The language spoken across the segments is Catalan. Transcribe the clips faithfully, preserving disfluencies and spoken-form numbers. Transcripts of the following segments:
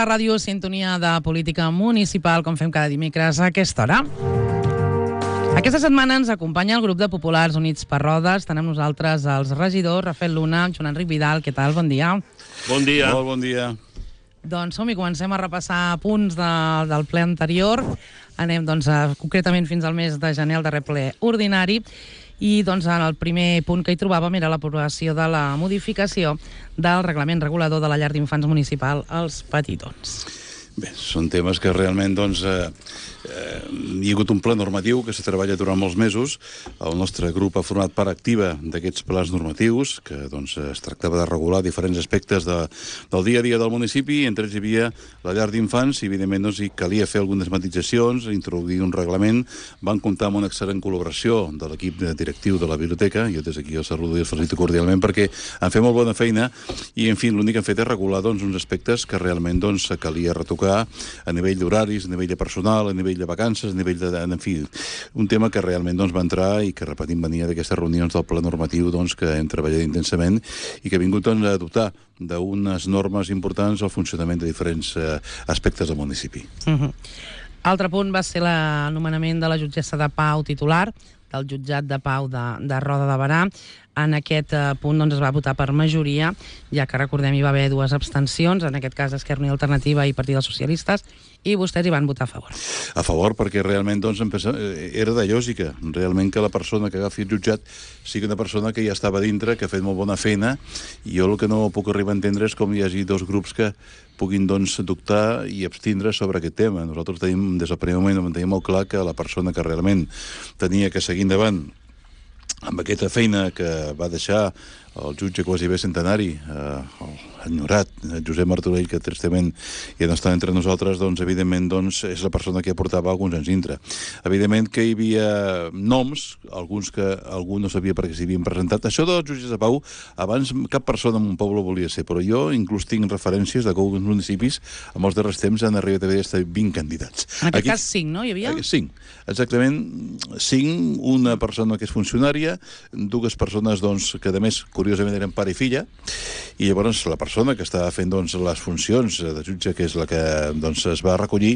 la ràdio Sintonia de Política Municipal, com fem cada dimecres a aquesta hora. Aquesta setmana ens acompanya el grup de Populars Units per Rodes. Tenim nosaltres els regidors Rafael Luna, Joan Enric Vidal. Què tal? Bon dia. Bon dia. Molt bon dia. Doncs som i comencem a repassar punts de, del ple anterior. Anem doncs, a, concretament fins al mes de gener, el darrer ple ordinari. I doncs, en el primer punt que hi trobàvem era l'aprovació de la modificació del reglament regulador de la llar d'infants municipal als petitons. Bé, són temes que realment doncs, eh, eh, hi ha hagut un pla normatiu que se treballa durant molts mesos. El nostre grup ha format part activa d'aquests plans normatius, que doncs, es tractava de regular diferents aspectes de, del dia a dia del municipi. Entre ells hi havia la llar d'infants i, evidentment, doncs, hi calia fer algunes matisacions, introduir un reglament. Van comptar amb una excel·lent col·laboració de l'equip directiu de la biblioteca. Jo des d'aquí els saludo i els felicito cordialment perquè han fet molt bona feina i, en fi, l'únic que han fet és regular doncs, uns aspectes que realment doncs, calia retocar a nivell d'horaris, a nivell de personal, a nivell de vacances, a nivell de... En fi, un tema que realment doncs, va entrar i que, repetim, venia d'aquestes reunions del pla normatiu doncs, que hem treballat intensament i que ha vingut doncs, a dotar d'unes normes importants al funcionament de diferents eh, aspectes del municipi. Uh-huh. Altre punt va ser l'anomenament de la jutgessa de Pau titular del jutjat de Pau de, de Roda de Berà. En aquest eh, punt doncs, es va votar per majoria, ja que recordem hi va haver dues abstencions, en aquest cas Esquerra Unida i Alternativa i Partit dels Socialistes, i vostès hi van votar a favor. A favor, perquè realment doncs, era de lògica, realment que la persona que agafi el jutjat sigui una persona que ja estava dintre, que ha fet molt bona feina, i jo el que no puc arribar a entendre és com hi hagi dos grups que puguin doncs, dubtar i abstindre sobre aquest tema. Nosaltres tenim, des del primer moment, tenim molt clar que la persona que realment tenia que seguir endavant amb aquesta feina que va deixar el jutge quasi bé centenari, eh, enyorat, Josep Martorell, que tristament ja no està entre nosaltres, doncs, evidentment, doncs, és la persona que aportava alguns anys dintre. Evidentment que hi havia noms, alguns que algú no sabia per què s'hi havien presentat. Això dels jutges de Pau, abans cap persona en un poble volia ser, però jo inclús tinc referències de que alguns municipis, en els darrers temps, han arribat a haver vint candidats. En aquest Aquí, cas, cinc, no? Hi havia? Cinc, exactament, cinc, una persona que és funcionària, dues persones, doncs, que a més, curiosament, eren pare i filla, i llavors la persona que estava fent doncs, les funcions de jutge, que és la que doncs, es va recollir,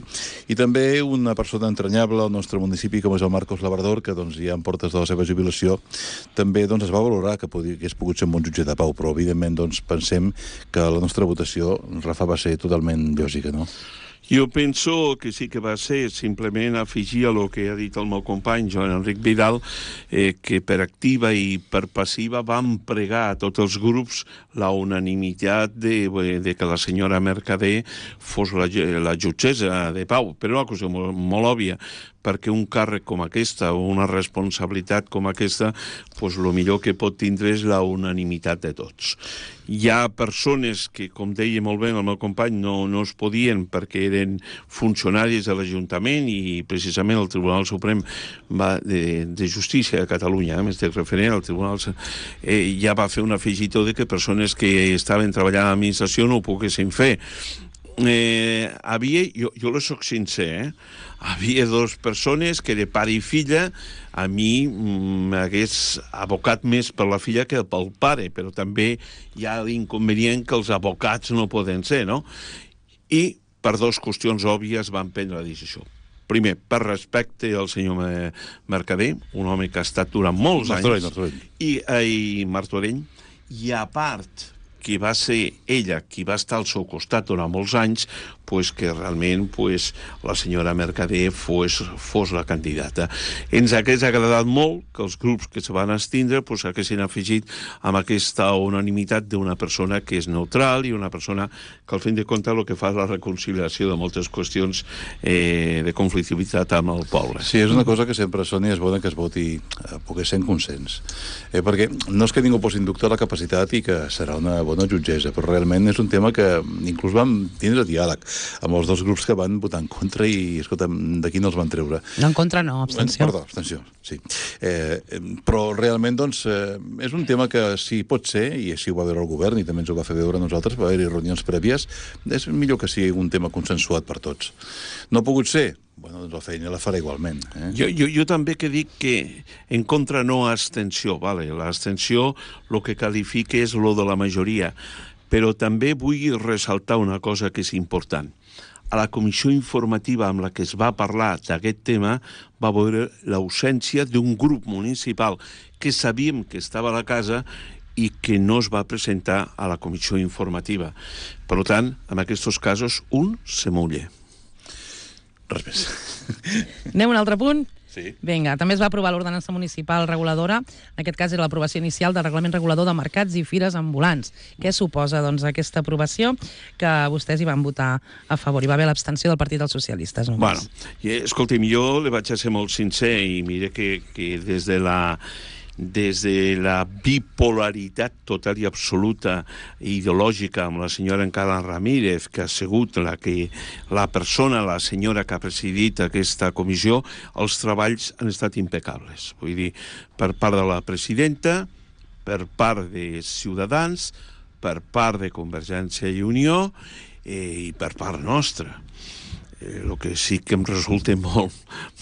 i també una persona entranyable al nostre municipi, com és el Marcos Labrador, que doncs, ja en portes de la seva jubilació, també doncs, es va valorar que podia, que hagués pogut ser un bon jutge de pau, però evidentment doncs, pensem que la nostra votació, Rafa, va ser totalment lògica, no? Jo penso que sí que va ser simplement afegir a el que ha dit el meu company Joan Enric Vidal, eh, que per activa i per passiva vam pregar a tots els grups la unanimitat de, de que la senyora Mercader fos la, la jutgessa de Pau, però una cosa molt, molt òbvia, perquè un càrrec com aquesta o una responsabilitat com aquesta, pues, el millor que pot tindre és la unanimitat de tots. Hi ha persones que, com deia molt bé el meu company, no, no es podien perquè eren funcionaris de l'Ajuntament i precisament el Tribunal Suprem va de, de Justícia de Catalunya, eh, m'estic referent al Tribunal, eh, ja va fer un afegitó de que persones que estaven treballant a l'administració no ho poguessin fer. Eh, havia, jo, jo le soc sincer, eh? Havia dues persones que de pare i filla a mi m'hagués abocat més per la filla que pel pare, però també hi ha l'inconvenient que els abocats no poden ser, no? I per dues qüestions òbvies van prendre la decisió. Primer, per respecte al senyor Mercader, un home que ha estat durant molts Martorell, anys, Martorell. I, i Martorell, i a part que va ser ella qui va estar al seu costat durant molts anys, pues que realment pues, la senyora Mercader fos, fos la candidata. Ens hagués agradat molt que els grups que se van estindre pues, haguessin afegit amb aquesta unanimitat d'una persona que és neutral i una persona que al fin de compte el que fa és la reconciliació de moltes qüestions eh, de conflictivitat amb el poble. Sí, és una cosa que sempre, Sònia, és bona que es voti eh, poder ser en consens. Eh, perquè no és que ningú posi en dubte la capacitat i que serà una bona jutgessa, però realment és un tema que inclús vam tindre diàleg amb els dos grups que van votar en contra i, escolta, d'aquí no els van treure. No en contra, no, abstenció. Perdó, abstenció, sí. Eh, però realment, doncs, eh, és un tema que si pot ser, i així ho va veure el govern i també ens ho va fer veure a nosaltres, va haver-hi reunions prèvies, és millor que sigui un tema consensuat per tots. No ha pogut ser? Bueno, doncs la feina la farà igualment. Eh? Jo, jo, jo també que dic que en contra no abstenció, vale? L'abstenció el que qualifica és lo de la majoria, però també vull ressaltar una cosa que és important. a la comissió informativa amb la que es va parlar d'aquest tema va veure l'ausència d'un grup municipal que sabíem que estava a la casa i que no es va presentar a la comissió informativa. Per tant, en aquests casos, un se mulla. Res més. Anem a un altre punt? Sí. Vinga, també es va aprovar l'ordenança municipal reguladora, en aquest cas era l'aprovació inicial del reglament regulador de mercats i fires ambulants. Què suposa, doncs, aquesta aprovació que vostès hi van votar a favor? Hi va haver l'abstenció del Partit dels Socialistes, només. Bueno, i, escolti'm, jo li vaig a ser molt sincer i mire que, que des de la des de la bipolaritat total i absoluta ideològica amb la senyora Encara Ramírez, que ha sigut la, que, la persona, la senyora que ha presidit aquesta comissió, els treballs han estat impecables. Vull dir, per part de la presidenta, per part de Ciutadans, per part de Convergència i Unió eh, i per part nostra. Eh, el que sí que em resulta molt,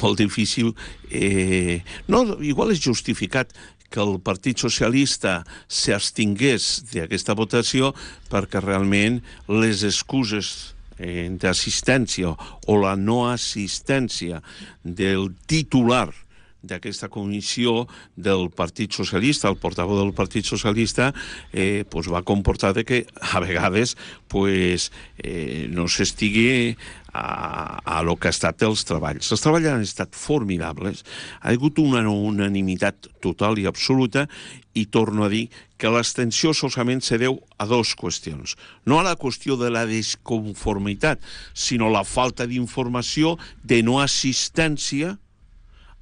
molt difícil, eh, no, igual és justificat que el Partit Socialista s'abstingués d'aquesta votació perquè realment les excuses eh, d'assistència o la no assistència del titular d'aquesta comissió del Partit Socialista, el portaveu del Partit Socialista, eh, pues va comportar de que a vegades pues, eh, no s'estigui a, a lo que ha estat els treballs. Els treballs han estat formidables, ha hagut una unanimitat total i absoluta i torno a dir que l'abstenció solament se deu a dues qüestions. No a la qüestió de la desconformitat, sinó la falta d'informació, de no assistència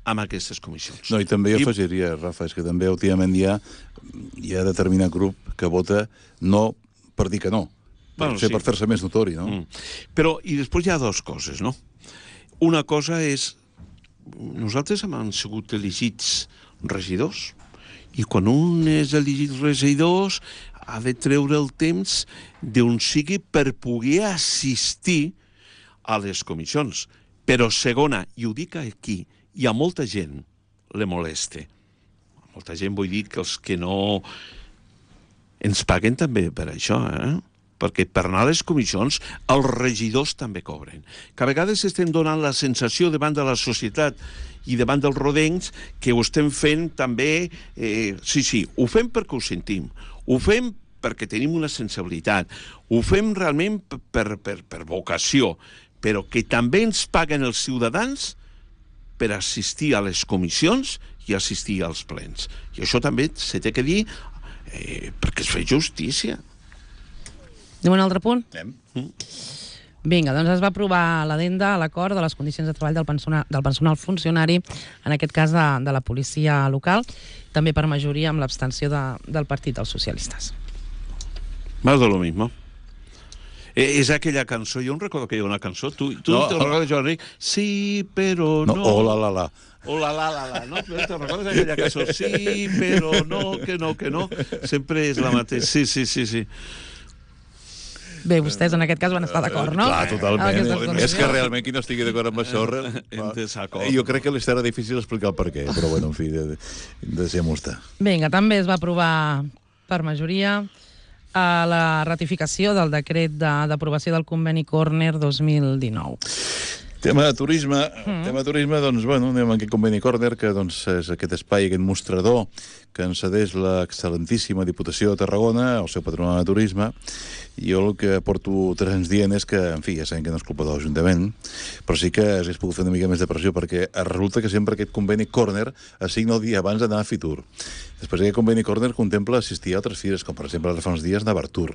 amb aquestes comissions. No, i també jo I... afegiria, Rafa, és que també últimament hi ha, hi ha determinat grup que vota no per dir que no, bueno, sí. per fer-se més notori, no? Mm. Però, i després hi ha dues coses, no? Una cosa és, nosaltres hem sigut elegits regidors, i quan un és elegit regidors ha de treure el temps d'on sigui per poder assistir a les comissions. Però segona, i ho dic aquí, hi ha molta gent le molesta. Molta gent vull dir que els que no ens paguen també per això, eh? Perquè per anar a les comissions els regidors també cobren. Que a vegades estem donant la sensació davant de la societat i davant dels rodencs que ho estem fent també... Eh, sí, sí, ho fem perquè ho sentim. Ho fem perquè tenim una sensibilitat. Ho fem realment per, per, per vocació. Però que també ens paguen els ciutadans per assistir a les comissions i assistir als plens. I això també se té que dir eh, perquè es fa justícia. Anem a un altre punt? Anem. Mm. Vinga, doncs es va aprovar l'adenda a l'acord de les condicions de treball del personal, del personal funcionari, en aquest cas de, de la policia local, també per majoria amb l'abstenció de, del Partit dels Socialistes. Más de lo mismo. Eh, és aquella cançó, jo em recordo que hi ha una cançó, tu, tu no, te recordes, Joan Ric? Sí, però no... No, hola, la, la. Hola, la, la, la, no? Te recordes aquella cançó? Sí, però no, que no, que no. Sempre és la mateixa. Sí, sí, sí, sí. Bé, vostès en aquest cas van estar d'acord, no? Clar, totalment. És que realment qui no estigui d'acord amb això... Jo crec que li serà difícil explicar el per què, però bueno, en fi, deixem-ho estar. Vinga, també es va aprovar per majoria a la ratificació del decret d'aprovació del conveni Corner dos mil dinou. Tema de turisme, mm. tema de turisme, doncs, bueno, anem a aquest conveni Corner, que doncs, és aquest espai, aquest mostrador que ens cedeix l'excel·lentíssima Diputació de Tarragona, el seu patronat de turisme, i jo el que porto tres anys dient és que, en fi, ja sabem que no és culpa de l'Ajuntament, però sí que s'hagués pogut fer una mica més de pressió, perquè resulta que sempre aquest conveni Corner assigna el dia abans d'anar a Fitur. Després aquest conveni Corner contempla assistir a altres fires, com per exemple ara fa uns dies Navartur,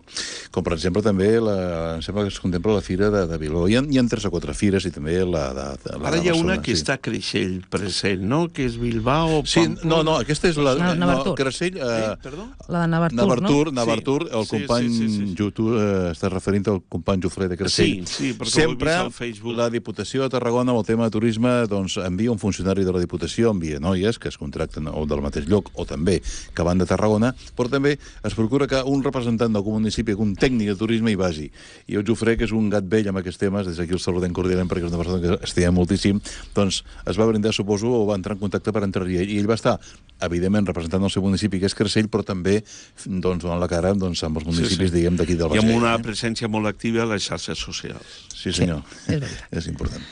com per exemple també la, em sembla que es contempla la fira de, de Biló. Hi ha, hi ha tres o quatre fires i també la de, de la ara hi ha Barcelona, una que sí. Està creixent present, no? Que és Bilbao... Sí, no, no, aquesta és la... No, no, Creixell... Eh, eh, perdó? La de Navartur, Navartur, no? Navartur, el sí, company sí, sí, sí, sí. Jutu, eh, està referint al company Jofre de Creixell. Sí, sí, perquè sempre ho he vist al Facebook. La Diputació Diputació de Tarragona, amb el tema de turisme, doncs envia un funcionari de la Diputació, envia noies que es contracten o del mateix lloc o també que van de Tarragona, però també es procura que un representant del municipi, un tècnic de turisme hi vagi. I jo us ofrec, que és un gat vell amb aquests temes, des d'aquí el saludem cordialment perquè és una persona que estima moltíssim, doncs es va brindar, suposo, o va entrar en contacte per entrar-hi. I ell va estar, evidentment, representant el seu municipi, que és Creixell, però també doncs, donant la cara doncs, amb els municipis, sí, sí. diguem, d'aquí del Baix. I amb una presència molt activa a les xarxes socials. Sí, senyor. Sí, és veritat. És important.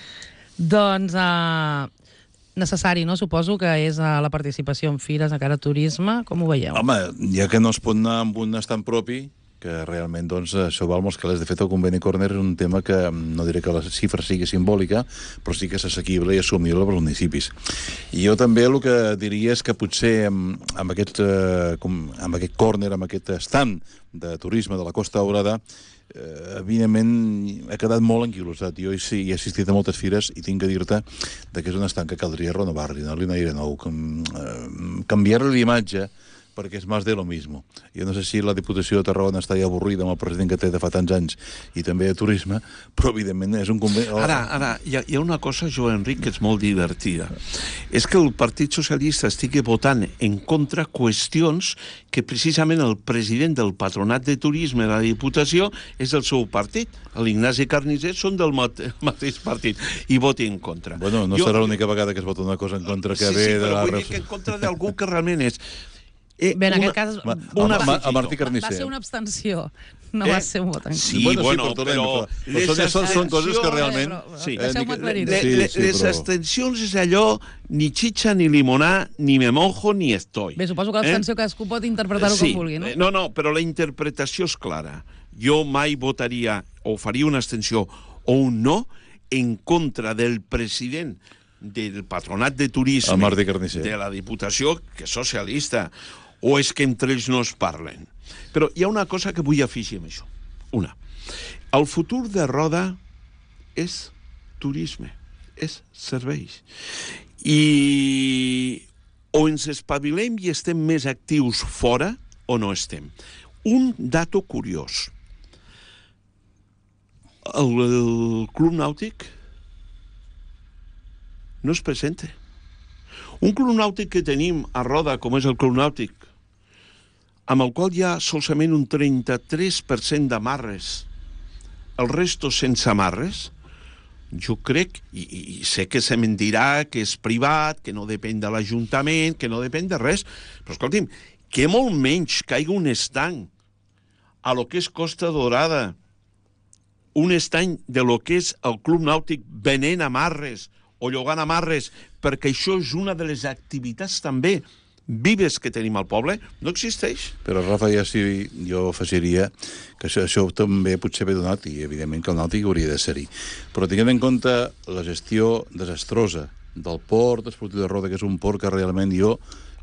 Doncs uh, necessari, no? Suposo que és uh, la participació en fires a cara a turisme. Com ho veieu? Home, ja que no es pot anar amb un estant propi, que realment doncs, això val molts calés. De fet, el conveni Corner és un tema que no diré que la xifra sigui simbòlica, però sí que és assequible i assumible pels municipis. I jo també el que diria és que potser amb, amb, aquest, eh, com, amb aquest corner, amb aquest estant de turisme de la Costa Daurada, eh, evidentment ha quedat molt enquilosat. Jo sí, he assistit a moltes fires i tinc que dir-te que és un estant que caldria renovar-li, donar-li un aire nou, com, eh, canviar-li l'imatge, perquè és més de lo mismo. Jo no sé si la Diputació de Tarragona està ja avorrida amb el president que té de fa tants anys i també de turisme, però evidentment és un conveni... Ara, ara hi, ha, hi ha una cosa, Joan Enric, que és molt divertida. És que el Partit Socialista estigui votant en contra qüestions que precisament el president del Patronat de Turisme de la Diputació és del seu partit. L'Ignasi Carnicer són del mate, mateix partit i voti en contra. Bueno, no jo, serà l'única vegada que es vota una cosa en contra que sí, ve sí, de la... Sí, però vull dir que en contra d'algú que realment és... Eh, Bé, en una, aquest cas... Ma, una, ma, el Martí Carnicer. Va ser una abstenció, no eh? va ser un vot en contra. Sí, bueno, bueno sí, però... però són, són, són coses que realment... Eh, sí. Deixeu-me aclarir-ho. Sí, les sí, però... abstencions és allò ni xitxa, ni limonar, ni me mojo, ni estoy. Bé, suposo que l'abstenció eh? cadascú pot interpretar-ho sí. com vulgui, no? No, no, però la interpretació és clara. Jo mai votaria o faria una abstenció o un no en contra del president del Patronat de Turisme de la Diputació, que és socialista, o és que entre ells no es parlen. Però hi ha una cosa que vull afegir amb això. Una, el futur de Roda és turisme, és serveis. I o ens espavilem i estem més actius fora o no estem. Un dato curiós. El, el Club Nàutic no es presenta. Un club nàutic que tenim a Roda, com és el Club Nàutic, amb el qual hi ha solament un trenta-tres per cent d'amarres, el resto sense amarres, jo crec, i, i sé que se me'n dirà que és privat, que no depèn de l'Ajuntament, que no depèn de res, però escolti'm, que molt menys caiga un estanc a lo que és Costa Dorada, un estany de lo que és el Club Nàutic venent amarres o llogant amarres, perquè això és una de les activitats també vives que tenim al poble, no existeix. Però, Rafa, ja sí, jo afegiria que això, això també potser ve donat, i evidentment que el nàutic hauria de ser-hi. Però tinguem en compte la gestió desastrosa del port esportiu de Roda, que és un port que realment jo...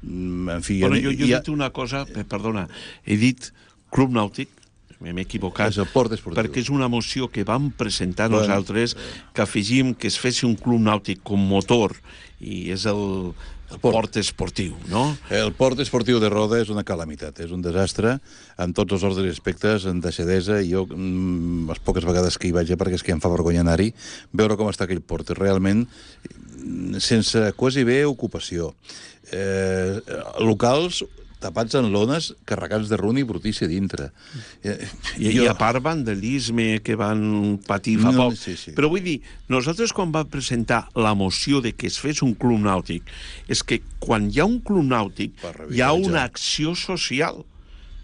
En fi... Bueno, jo, jo he ja... dit una cosa, perdona, he dit Club Nàutic, m'he equivocat, és el port esportiu, perquè és una moció que vam presentar bueno, nosaltres, que afegim que es fes un club nàutic com motor, i és el, el port. port esportiu, no? El port esportiu de Roda és una calamitat, és un desastre, en tots els ordres i aspectes, en deixadesa, i jo, mm, les poques vegades que hi vaig, perquè és que em fa vergonya anar-hi, veure com està aquell port, realment, sense quasi bé ocupació. Eh, locals tapats en lones, carregats de runa i brutícia dintre. I, I, jo... I a part vandalisme que van patir fa no, poc. Sí, sí. Però vull dir, nosaltres quan vam presentar la moció de que es fes un club nàutic, és que quan hi ha un club nàutic hi ha una acció social.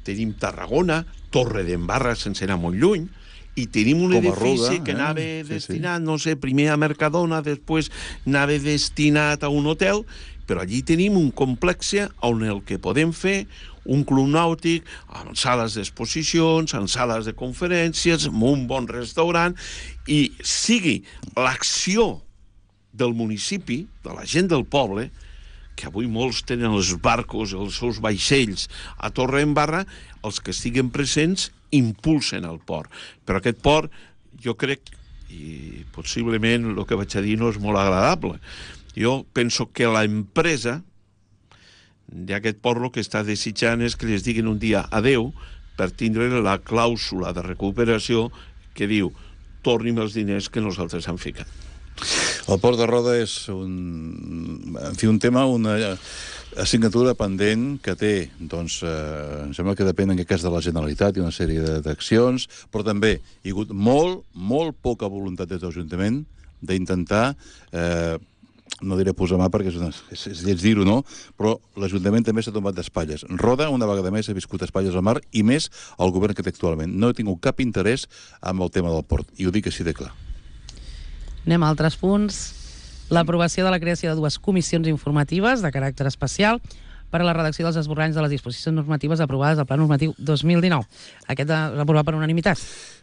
Tenim Tarragona, Torre d'Embarra sense anar molt lluny, i tenim un edifici Ruda, que anava eh? destinat, sí, sí. no sé, primer a Mercadona, després anava destinat a un hotel, però allí tenim un complex on el que podem fer un club nàutic amb sales d'exposicions, amb sales de conferències, amb un bon restaurant, i sigui l'acció del municipi, de la gent del poble, que avui molts tenen els barcos, els seus vaixells a Torredembarra, els que estiguen presents impulsen el port. Però aquest port, jo crec, i possiblement el que vaig a dir no és molt agradable, jo penso que l'empresa d'aquest port el que està desitjant és que les diguin un dia adeu per tindre la clàusula de recuperació que diu torni'm els diners que nosaltres hem ficat. El Port de Roda és un, en fi, un tema, una assignatura pendent que té, doncs, eh, em sembla que depèn en aquest cas de la Generalitat i una sèrie d'accions, però també hi ha hagut molt, molt poca voluntat des de l'Ajuntament d'intentar, eh, no diré posar mà perquè és, una, és, és lleig dir-ho, no? Però l'Ajuntament també s'ha tomat d'espatlles. Roda, una vegada més, ha viscut espatlles al mar i més el govern que té actualment. No he tingut cap interès amb el tema del port, i ho dic així de clar. Anem a altres punts. L'aprovació de la creació de dues comissions informatives de caràcter especial per a la redacció dels esborranys de les disposicions normatives aprovades al Pla Normatiu dos mil dinou. Aquest és aprovat per unanimitat.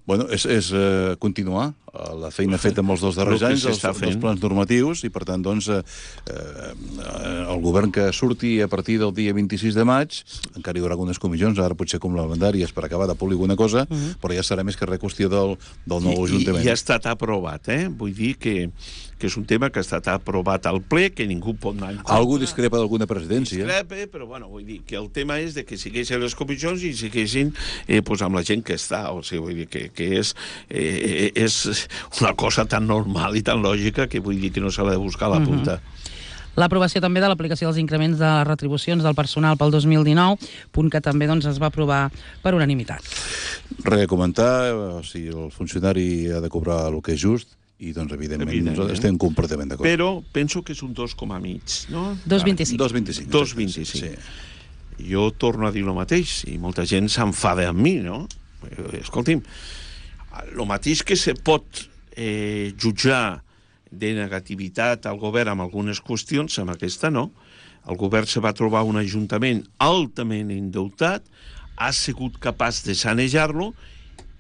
Bueno, és, és uh, continuar uh, la feina feta amb els dos darrers anys, els, els plans normatius, i per tant, doncs, uh, uh, el govern que surti a partir del dia vint-i-sis de maig, encara hi haurà algunes comissions, ara potser complementàries per acabar de polir alguna cosa, uh -huh. però ja serà més que res qüestió del, del nou I, Ajuntament. I ja ha estat aprovat, eh? Vull dir que, que és un tema que ha estat aprovat al ple, que ningú pot anar en contra. Algú discrepa d'alguna presidència. Discrepa, però bueno, vull dir que el tema és de que siguessin les comissions i siguessin eh, pues, amb la gent que està, o sigui, vull dir que, que és, eh, és una cosa tan normal i tan lògica que vull dir que no s'ha de buscar la punta. Uh-huh. L'aprovació també de l'aplicació dels increments de les retribucions del personal pel dos mil dinou, punt que també doncs, es va aprovar per unanimitat. Res a comentar, o sigui, el funcionari ha de cobrar el que és just, i doncs, evidentment, evidentment. nosaltres estem completament d'acord. Però penso que és un dos coma mig, no? dos coma vint-i-cinc. dos coma vint-i-cinc. dos coma vint-i-cinc. Sí. Jo torno a dir el mateix, i molta gent s'enfada amb mi, no? Escolti'm, el mateix que se pot eh, jutjar de negativitat al govern amb algunes qüestions, amb aquesta no. El govern se va trobar un ajuntament altament endeutat, ha sigut capaç de sanejar-lo,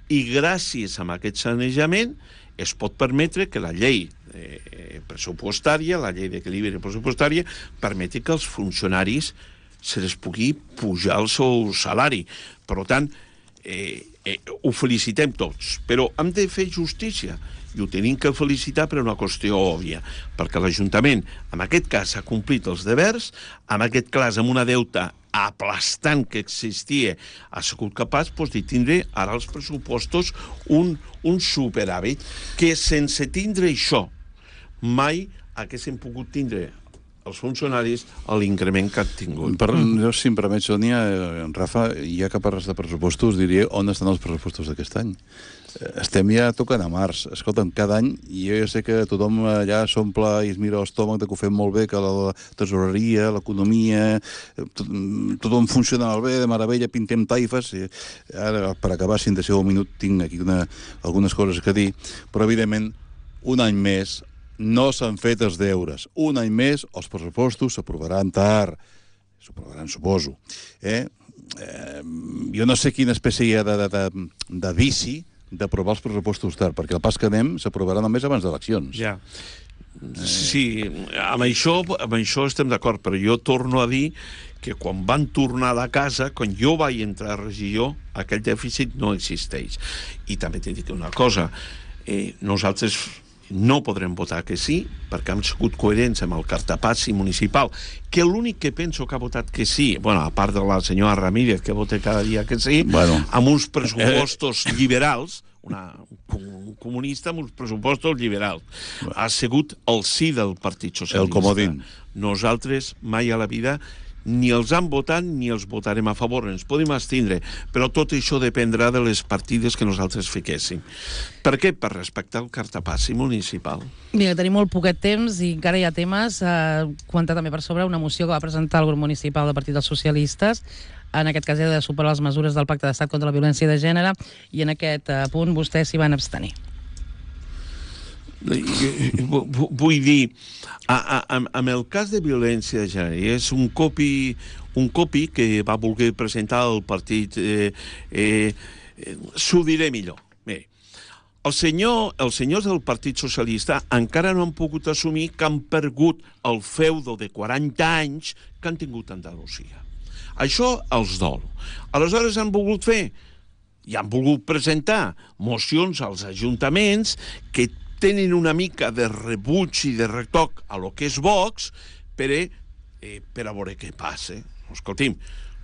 i gràcies a aquest sanejament es pot permetre que la llei eh, pressupostària, la llei d'equilibri pressupostària, permeti que els funcionaris se les pugui pujar el seu salari. Per tant, eh, eh, ho felicitem tots, però hem de fer justícia, i ho tenim que felicitar per una qüestió òbvia, perquè l'Ajuntament, en aquest cas, ha complit els devers, en aquest cas, amb una deuta aplastant que existia, ha sigut capaç doncs, de tindre ara els pressupostos un, un superàvit, que sense tindre això mai haguéssim pogut tindre els funcionaris a l'increment que han tingut. Per, jo, si em permet, Sònia, Rafa, ja que parles de pressupostos, diria on estan els pressupostos d'aquest any. Estem ja tocant a març. Escolta'm, cada any, i jo ja sé que tothom allà s'omple i es mira l'estómac de que ho fem molt bé, que la tesoreria, l'economia, tot, tothom funciona molt bé, de meravella, pintem taifes. I ara, per acabar, si em deixeu un minut, tinc aquí una, algunes coses que dir, però, evidentment, un any més no s'han fet els deures. Un any més, els pressupostos s'aprovaran tard. S'aprovaran, suposo. Eh? Eh, jo no sé quina espècie hi ha de, de, de, de vici d'aprovar els pressupostos tard, perquè el pas que anem s'aprovarà només abans d'eleccions. Ja. Sí, amb això, amb això estem d'acord, però jo torno a dir que quan van tornar de casa, quan jo vaig entrar a regidor, aquell dèficit no existeix. I també t'he dit una cosa, eh, nosaltres no podrem votar que sí, perquè hem sigut coherents amb el cartapassi municipal, que l'únic que penso que ha votat que sí, bueno, a part de la senyora Ramírez, que vota cada dia que sí, bueno, amb uns pressupostos liberals, una, un comunista amb uns pressupostos liberals, bueno, ha sigut el sí del Partit Socialista. El comodín. Nosaltres mai a la vida ni els han votat ni els votarem a favor, ens podem abstindre, però tot això dependrà de les partides que nosaltres fiquéssim. Per què? Per respectar el cartapassi municipal. Mira, tenim molt poquet temps i encara hi ha temes. Eh, comentar també per sobre una moció que va presentar el grup municipal del Partit dels Socialistes. En aquest cas era de superar les mesures del Pacte d'Estat contra la violència de gènere, i en aquest eh, punt vostès s'hi van abstenir. Vull dir, amb el cas de violència de gènere, és un copi, un copi que va voler presentar el partit, eh, eh, s'ho diré millor. Bé, el senyor, els senyors del Partit Socialista encara no han pogut assumir que han perdut el feudo de quaranta anys que han tingut a Andalusia. Això els dol. Aleshores han volgut fer, i han volgut presentar mocions als ajuntaments que tenen una mica de rebuig i de retoc a lo que és Vox per, eh, per a veure què passa. Escolti'm,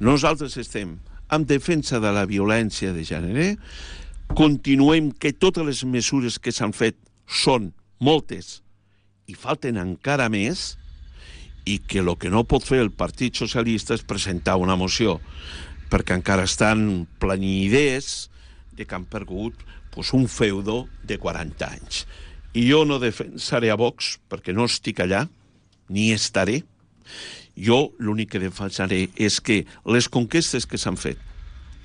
nosaltres estem en defensa de la violència de gènere, continuem que totes les mesures que s'han fet són moltes i falten encara més, i que el que no pot fer el Partit Socialista és presentar una moció, perquè encara estan planint idees de que han perdut pues, un feudo de quaranta anys. I jo no defensaré a Vox, perquè no estic allà, ni estaré. Jo l'únic que defensaré és que les conquestes que s'han fet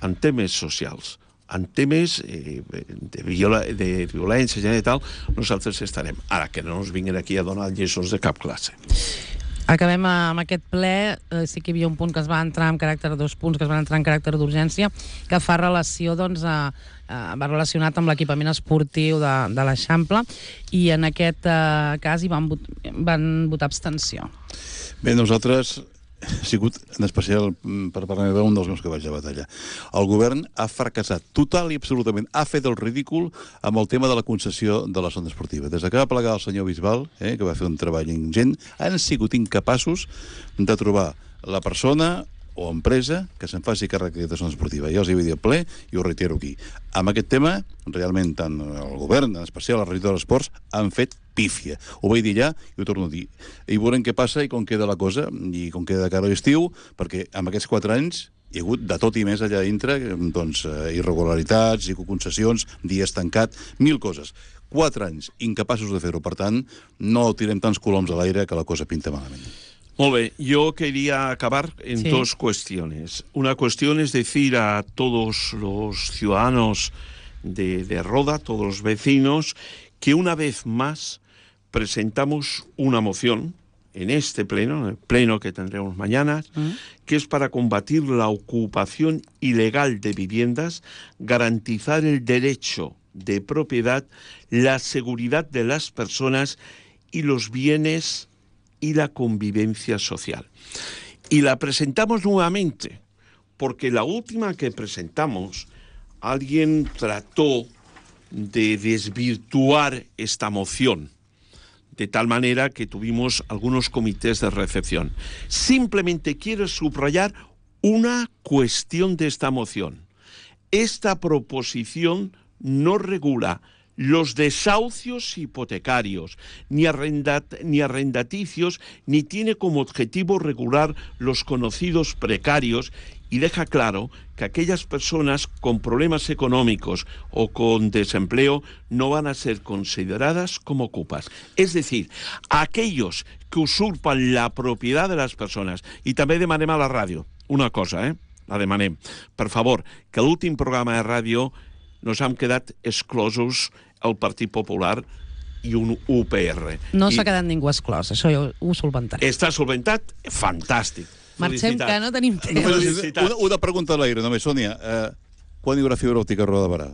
en temes socials, en temes eh, de, viola, de violència i tal, nosaltres estarem. Ara, que no ens vinguin aquí a donar lliçons de cap classe. Acabem amb aquest ple. Eh, sí que hi havia un punt que es va entrar en caràcter, dos punts que es van entrar en caràcter d'urgència, que fa relació, doncs, a, a, va relacionat amb l'equipament esportiu de, de l'Eixample, i en aquest eh, cas hi van, vot, van votar abstenció. Bé, nosaltres ha sigut, en especial, per part meva, un dels meus cavalls de batalla. El govern ha fracassat total i absolutament, ha fet el ridícul amb el tema de la concessió de la zona esportiva. Des que va plegar el senyor Bisbal, eh, que va fer un treball ingent, han sigut incapaços de trobar la persona o empresa que se'n faci càrrec d'aquesta zona esportiva. Ja els hi havia dit al ple i ho reitero aquí. Amb aquest tema, realment, tant el govern, en especial la regidora d'Esports, han fet pífia. Ho vaig dir ja i ho torno a dir. I veurem què passa i com queda la cosa, i com queda de cara a l'estiu, perquè en aquests quatre anys hi ha hagut de tot i més allà dintre, doncs, irregularitats, concessions, dies tancat, mil coses. Quatre anys incapaços de fer-ho. Per tant, no tirem tants coloms a l'aire que la cosa pinta malament. Molt bé, yo quería acabar en sí. dos cuestiones. Una cuestión es decir a todos los ciudadanos de, de Roda, todos los vecinos, que una vez más presentamos una moción en este pleno, en el pleno que tendremos mañana, ¿Mm? que es para combatir la ocupación ilegal de viviendas, garantizar el derecho de propiedad, la seguridad de las personas y los bienes y la convivencia social. Y la presentamos nuevamente, porque la última que presentamos, alguien trató de desvirtuar esta moción, de tal manera que tuvimos algunos comités de recepción. Simplemente quiero subrayar una cuestión de esta moción. Esta proposición no regula los desahucios hipotecarios, ni, arrendat, ni arrendaticios, ni tiene como objetivo regular los conocidos precarios, y deja claro que aquellas personas con problemas económicos o con desempleo no van a ser consideradas como ocupas. Es decir, aquellos que usurpan la propiedad de las personas. I també demanem a la ràdio una cosa, eh? La demanem. Per favor, que l'últim programa de ràdio nos hem quedat exclosos el Partit Popular i un U P R. No s'ha quedat ningú exclòs, això jo ho solventaré. Està solventat? Fantàstic. Marxem, que no tenim temps. Una, una pregunta a l'aire, només, Sònia. Eh, quan hi haurà fibra òptica a Roda de Barà?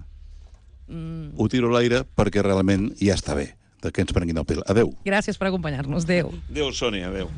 Mm. Ho tiro a l'aire perquè realment ja està bé de que ens prenguin el pèl. Adéu. Gràcies per acompanyar-nos. Adéu. Adéu, Sònia. Adéu.